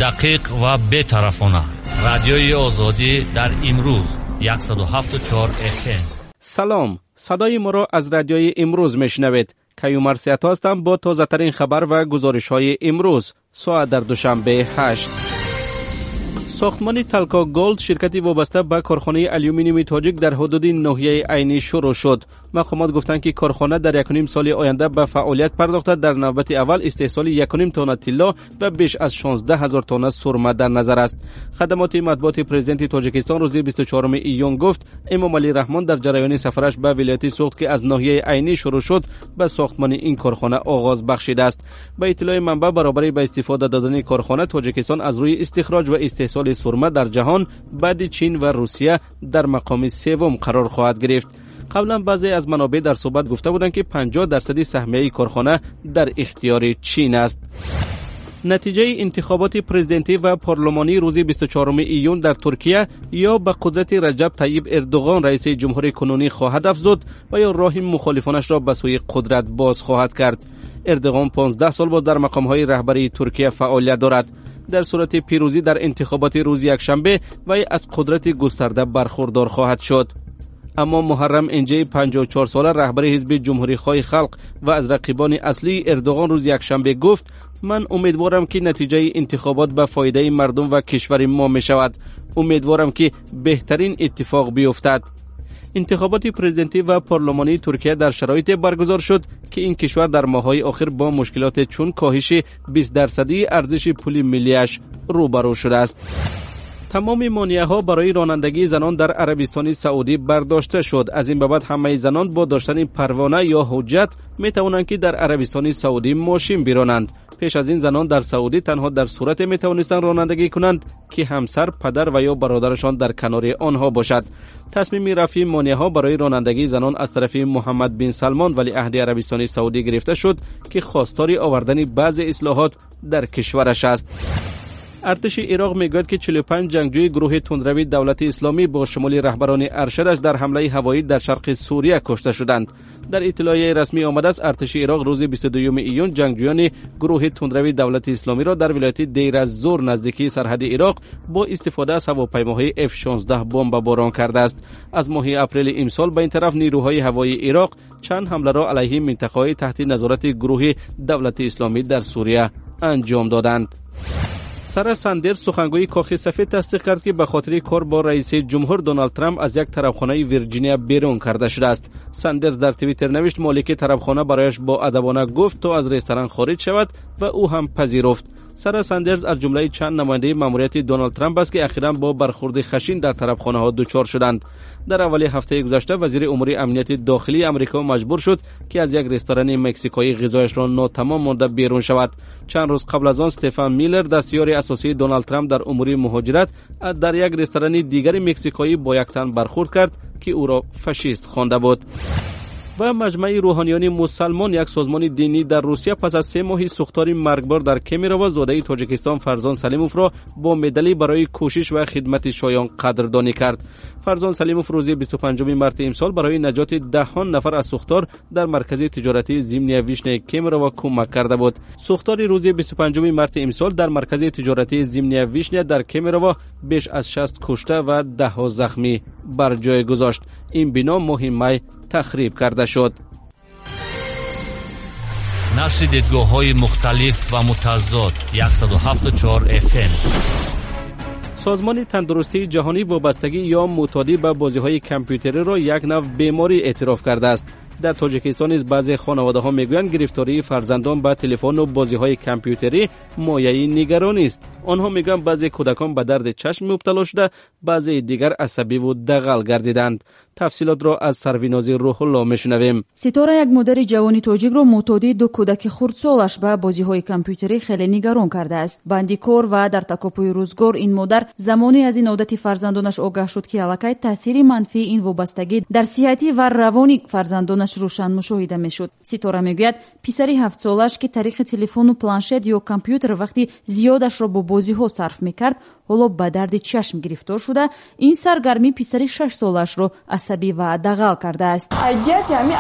Дақиқ ва бетарафона. Радиои Озодӣ дар имрӯз 107.4 FM. Салом, садои моро аз радиои имрӯз мешунавед. Каюмар Сиато ҳастам бо тозатарин хабар ва гузоришҳои имрӯз. Соат дар Душанбе 8. Сохтмони Талко Голд, ширкати вобаста ба корхонаи алюминиуми тоҷик, дар ҳудуди ноҳияи Айнӣ шурӯъ шуд. Мақомот гуфтанд, ки корхона дар 1,5 соли оянда ба фаъолият пардохта, дар навбати аввал истеҳсоли 1,5 тонна тилло ва беш аз 16 ҳазор тонна сурма дар назар аст. Хадамоти матбуоти президенти Тоҷикистон рӯзи 24 июн гуфт, Эмомалӣ Раҳмон дар ҷараёни сафараш ба вилояти Суғд, ки аз ноҳияи Айнӣ шурӯъ шуд, ба сохтмони ин корхона оғоз бахшидааст. Ба иттилои манбаъ, баробари ба истифода додани корхона, Тоҷикистон аз рӯи истихроҷ ва истеҳсоли сурма дар ҷаҳон баъди Чин ва Русия дар мақоми севум қарор хоҳад гирифт. Қаблан баъзе аз манобеъ дар суҳбат гуфта буданд, ки 50% саҳмияи корхона дар ихтиёри Чин аст. Натиҷаи интихоботи президентӣ ва парлумонии рӯзи 24 июн дар Туркия ё ба қудрати Раҷаб Тайиб Эрдоғон, раиси ҷумҳури кунунӣ, хоҳад афзуд ва ё роҳи мухолифонашро ба сӯи қудрат боз хоҳад кард. Эрдоғон 15 сол боз дар мақомҳои раҳбарии Туркия фаъолият дорад. Дар сурати пирӯзӣ дар интихоботи рӯзи якшанбе вай аз қудрати густарда бархурдор хоҳад шуд. Аммо Муҳаррам Инҷаи 54-сола, раҳбари ҳизби Ҷумҳурихоҳи халқ ва аз рақибони аслии Эрдоғон, рӯзи якшанбе гуфт: ман умедворам, ки натиҷаи интихобот ба фоидаи мардум ва кишвари мо мешавад. Умедворам, ки беҳтарин иттифоқ биёфтад. Интихоботи президентӣ ва парлумонии Туркия дар шароите баргузор шуд, ки ин кишвар дар моҳҳои охир бо мушкилоте чун коҳиши 20% арзиши пули миллиаш рӯбарӯ шудааст. Тамоми монеаҳо барои ронандагии занон дар Арабистони Саудӣ бардошта шуд. Аз ин ба баъд ҳамаи занон бо доштани парвона ё ҳуҷҷат метавонанд, ки дар Арабистони Саудӣ мошин биронанд. Пеш аз ин занон дар Саудӣ танҳо дар сурате метавонистанд ронандагӣ кунанд, ки ҳамсар, падар ва ё бародарашон дар канори онҳо бошад. Тасмими рафъи монеаҳо барои ронандагии занон аз тарафи Муҳаммад бин Салмон, валиаҳди Арабистони Саудӣ, гирифта шуд, ки хостори овардани баъзе ислоҳот дар кишвараш аст. Артиши Ироқ мегӯяд, ки 45 ҷангҷӯи гурӯҳи тундрави Давлати Исломӣ бо шумули раҳбарони аршадаш дар ҳамлаи ҳавоӣ дар шарқи Сурия кушта шуданд. Дар иттилоияи расмӣ омадааст, артиши Ироқ рӯзи 22 июн ҷангҷӯёни гурӯҳи тундрави Давлати Исломиро дар вилояти Дейраззур, наздикии сарҳади Ироқ, бо истифода аз ҳавопаймоҳои F-16 бомбаборон кардааст. Аз моҳи апрели имсол ба ин тараф нирӯҳои ҳавоии Ироқ чанд ҳамларо алайҳи минтақаҳои таҳти назорати гурӯҳи Давлати Исломӣ дар Сурия анҷом доданд. Сара Сандерс, сухангӯи Кохи Сафед, тасдиқ кард, ки ба хотири кор бо раиси ҷумҳур Доналд Трамп аз як тарабхонаи Вирҷиния берун карда шудааст. Сандерс дар Твиттер навишт, молики тарабхона барояш боадабона гуфт, то аз ресторан хориҷ шавад ва ӯ ҳам пазируфт. Сара Сандерс аз ҷумлаи чанд намояндаи маъмурияти Доналд Трамп аст, ки ахиран бо бархурди хашин дар тарабхонаҳо дучор шуданд. Дар аввали ҳафтаи гузашта вазири умури амнияти дохилии Амрико маҷбур шуд, ки аз як ресторани мексикоӣ ғизояшро нотамом монда берун шавад. Чанд рӯз қабл аз он Стефан Миллер, дастёри асосии Доналд Трамп дар умури муҳоҷират, дар як ресторани дигари мексикоӣ бо як тан бархурд кард, ки ӯро фашист хонда буд. Ва Маҷмаи рӯҳониёни мусалмон, як созмони динӣ дар Русия, пас аз 3 моҳи сӯхтори маргбор дар Кемерово зодаи Тоҷикистон Фарзон Салимовро бо медалӣ барои кӯшиш ва хидмати шоён қадрдонӣ кард. Фарзон Салимов рӯзи 25 марти имсол барои наҷоти даҳон нафар аз сӯхтор дар маркази тиҷоратии Зимняя Вишняи Кемерово кӯмак карда буд. Сӯхтори рӯзи 25 марти имсол дар маркази тиҷоратии Зимняя Вишня дар Кемерово беш аз 60 кушта ва даҳҳо захмӣ бар ҷой гузошт. Ин бино моҳи май тахриб карда шуд. Нашри дидгоҳҳои мухталиф ва мутазод, 107.4 FM. Созмони тандурустии ҷаҳонӣ вобастагӣ ё мӯътодӣ ба бозиҳои компютериро як нав беморӣ эътироф кардааст. Дар Тоҷикистон низ баъзе хонаводаҳо мегӯянд, гирифтории фарзандон ба телефону бозиҳои компютерӣ мояи нигаронист. Онҳо мегӯянд, баъзе кӯдакон ба дарди чашм мубтало шуда, баъзеи дигар асабиву дағал гардиданд. Тафсилотро аз Сарвинози Рӯҳулло мешунавем. Ситора, як модари ҷавони тоҷикро, мӯътодии ду кӯдаки хурдсолаш ба бозиҳои компютерӣ хеле нигарон кардааст. Банди кор ва дар такопӯи рӯзгор ин модар замоне аз ин одати фарзандонаш огаҳ шуд, ки аллакай таъсири манфии ин вобастагӣ дар сиҳатӣ ва равони фарзандонаш рӯшан мушоҳида мешуд. Ситора мегӯяд, писари 7-солааш, ки тариқи телефону планшет ё компютер вақти зиёдашро бо бозиҳо сарф мекард, Ҳоло ба дарди чашм гирифтор шуда, ин саргармӣ писари 6-солаашро асабӣ ва дағал кардааст. Айдияти ҳами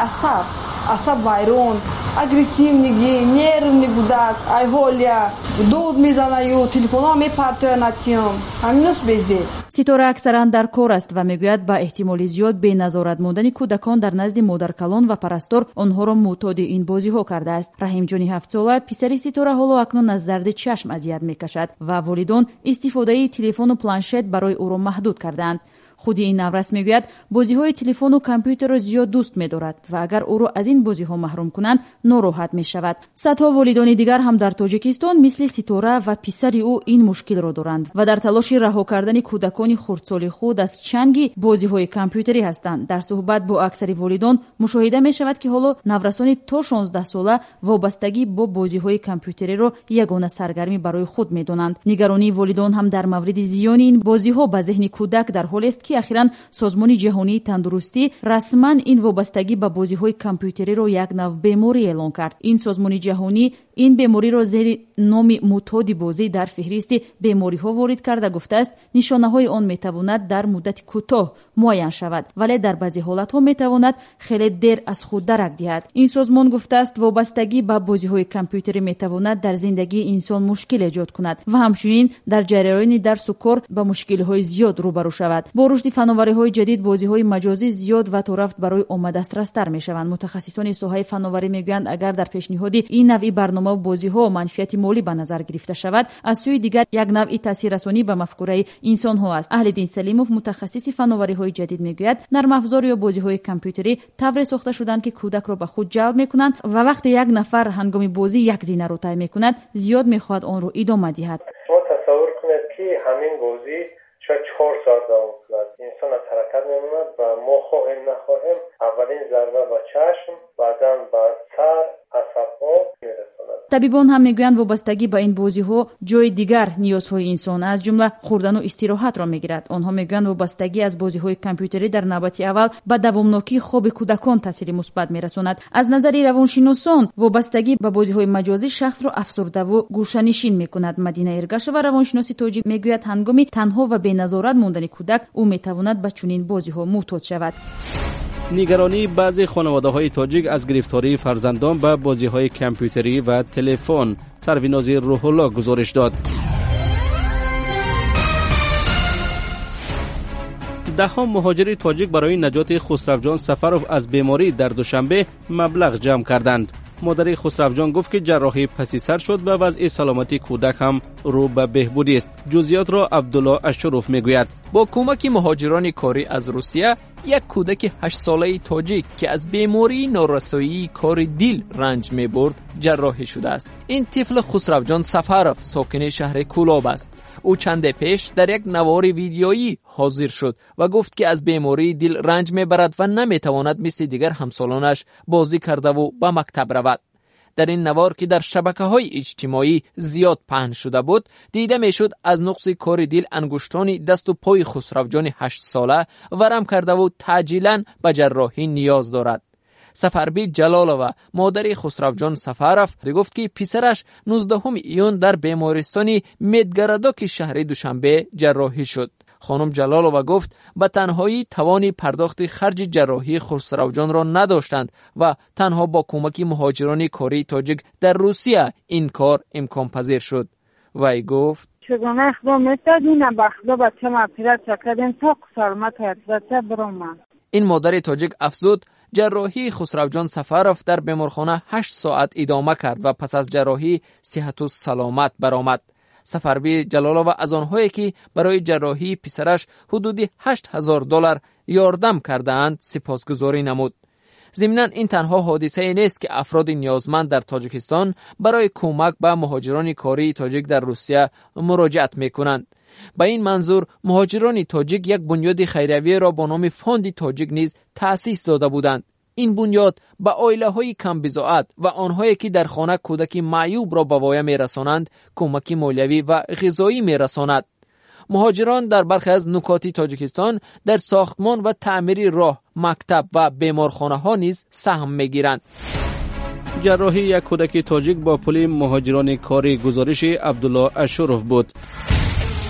асаб вайрон, агрессивныйги, нервный гудак, айҳолия дод мезанаю, телефонҳо мепартоя, натиём, ҳаминош безеб. Ситора аксаран дар кор аст ва мегӯяд, ба эҳтимоли зиёд беназорат мондани кӯдакон дар назди модаркалон ва парастор онҳоро мӯътоди ин бозиҳо кардааст. Раҳимҷони 7-сола, писари Ситора, ҳоло акнун аз дарди чашм азият мекашад ва волидон истифодаи телефону планшет барои ӯро маҳдуд кардаанд. Худи ин наврас мегӯяд, бозиҳои телефону компютерро зиёд дӯст медорад ва агар ӯро аз ин бозиҳо маҳрум кунанд, нороҳат мешавад. Садҳо волидони дигар ҳам дар Тоҷикистон мисли Ситора ва писари ӯ ин мушкилро доранд ва дар талоши раҳо кардани кӯдакони хурдсоли худ аз чанги бозиҳои компютерӣ ҳастанд. Дар суҳбат бо аксари волидон мушоҳида мешавад, ки ҳоло наврасони то 16-сола вобастагӣ бо бозиҳои компютериро ягона саргармӣ барои худ медонанд. Нигаронии волидон ҳам дар мавриди зиёни ин бозиҳо ба зеҳни кӯдак дар ҳолест, ки ахиран Созмони ҷаҳонии тандурустӣ расман ин вобастагӣ ба бозиҳои компютериро як нав беморӣ эълон кард. Ин созмони ҷаҳонӣ ин бемориро зери номи мӯътоди бозӣ дар феҳристи бемориҳо ворид карда гуфтааст, нишонаҳои он метавонад дар муддати кӯтоҳ муайян шавад, вале дар баъзе ҳолатҳо метавонад хеле дер аз худ дарак диҳад. Ин созмон гуфтааст, вобастагӣ ба бозиҳои компютерӣ метавонад дар зиндагии инсон мушкил эҷод кунад ва ҳамчунин дар ҷараёни дарсу кор ба мушкилиҳои зиёд рӯбарӯ шавад. Бо рушди фановариҳои ҷадид бозиҳои маҷозӣ зиёд ва торафт барои омма дастрастар мешаванд. Мутахассисони соҳаи фановарӣ мегӯянд, агар дар пешниҳоди ин навъи барнома ва бозиҳо манфиати молӣ ба назар гирифта шавад, аз сӯи дигар як навъи таъсиррасонӣ ба мафкураи инсонҳо аст. Аҳлиддин Салимов, мутахассиси фановариҳои ҷадид, мегӯяд, нармафзор ё бозиҳои компютерӣ тавре сохта шуданд, ки кӯдакро ба худ ҷалб мекунанд ва вақте як нафар ҳангоми бозӣ як зинаро тай мекунад, зиёд мехоҳад онро идома диҳад. Шумо тасаввур кунед, ки ҳамин бозӣ шояд 4 соат давом кунад. Инсон аз ҳаракат мемонад ва мо хоҳем нахоҳем аввалин зарба ба чашм, баъдан ба сар, асабҳо мерасонад. Табибон ҳам мегӯянд, вобастагӣ ба ин бозиҳо ҷои дигар ниёзҳои инсон, аз ҷумла хӯрдану истироҳатро мегирад. Онҳо мегӯянд, вобастагӣ аз бозиҳои компютерӣ дар навбати аввал ба давомнокии хоби кӯдакон таъсири мусбат мерасонад. Аз назари равоншиносон вобастагӣ ба бозиҳои маҷозӣ шахсро афсурдаву гӯшанишин мекунад. Мадина Эргашева, равоншиноси тоҷик, мегӯяд, ҳангоми танҳо ва беназорат мондани кӯдак ӯ метавонад ба чунин бозиҳо мӯътод шавад. Нигаронии баъзе хонаводаҳои тоҷик аз гирифтории фарзандон ба бозиҳои компютерӣ ва телефон. Сарвинози Рӯҳулло гузориш дод. Даҳҳо муҳоҷири тоҷик барои наҷоти Хусравҷон Сафаров аз беморӣ дар Душанбе маблағ ҷамъ карданд. Модари Хусравҷон гуфт, ки ҷарроҳӣ паси сар шуд ва вазъи саломатии кӯдак ҳам рӯ ба беҳбудист. Ҷузъиётро Абдулло Ашуров мегӯяд. Бо кӯмаки муҳоҷирони корӣ аз Русия як кӯдаки 8-солаи тоҷик, ки аз бемории норасоии кори дил ранҷ мебурд, ҷарроҳӣ шудааст. Ин тифл Хусравҷон Сафаров, сокини шаҳри Кӯлоб аст. Ӯ чанде пеш дар як навори видеоӣ ҳозир шуд ва гуфт, ки аз бемории дил ранҷ мебарад ва наметавонад мисли дигар ҳамсолонаш бозӣ кардаву ба мактаб равад. Дар ин навор, ки дар шабакаҳои иҷтимоӣ зиёд паҳн шуда буд, дида мешуд, аз нуқси кори дил ангуштони дасту пои Хусравҷони 8-сола варам кардаву таъҷилан ба ҷарроҳӣ ниёз дорад. Сафарбӣ Ҷалолова, модари Хусравҷон Сафаров, гуфт, ки писараш 19 июн дар бемористони Медгородоки шаҳри Душанбе ҷарроҳӣ шуд. Хонум Ҷалолова гуфт, ба танҳоӣ тавони пардохти харҷи ҷарроҳии Хусравҷонро надоштанд ва танҳо бо кӯмаки муҳоҷирони кории тоҷик дар Русия ин кор имконпазир шуд. Вай гуфт: Чугуна Худо метад, ина ба Худо бачам оператсия кардем, то саломат оператсия биромад. Ин модари тоҷик афзуд, ҷарроҳии Хусравҷон Сафаров дар беморхона 8 соат идома кард ва пас аз ҷарроҳӣ сиҳату саломат баромад. Сафарбӣ Ҷалолова аз онҳое, ки барои ҷарроҳии писараш ҳудуди 8000 доллар ёрдам кардаанд, сипосгузорӣ намуд. Зимнан, ин танҳо ҳодисае нест, ки афроди ниёзманд дар Тоҷикистон барои кӯмак ба муҳоҷирони кории тоҷик дар Русия муроҷиат мекунанд. Ба ин манзур муҳоҷирони тоҷик як бунёди хайриявиро бо номи Фонди тоҷик низ таъсис дода буданд. Ин бунёд ба оилаҳои камбизоат ва онҳое, ки дар хона кӯдаки маъюбро ба воя мерасонанд, кӯмаки молиявӣ ва ғизоӣ мерасонад. Муҳоҷирон дар бархе аз нукоти Тоҷикистон дар сохтмон ва таъмири роҳ, мактаб ва беморхонаҳо низ саҳм мегиранд. Ҷарроҳии як кӯдаки тоҷик бо пули муҳоҷирони корӣ, гузориши Абдулло Ашуров буд.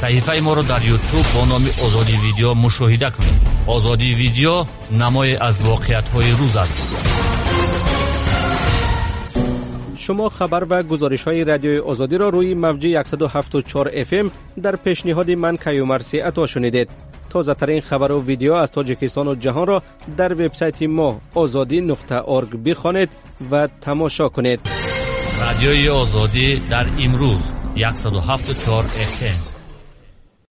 Саҳифаи моро дар Ютуб бо номи Озодӣ Видео мушоҳида кунед. Озодӣ Видео намое аз воқеиятҳои рӯз аст. Шумо хабар ва гузоришҳои Радиои Озодиро рӯи мавҷи 107.4 FM дар пешниҳоди ман Каюмарси Ато шунидед. Тозатарин хабару видео аз Тоҷикистону ҷаҳонро дар вебсайти мо ozodi.org бихонед ва тамошо кунед. Радиои Озодӣ дар имрӯз 107.4 FM.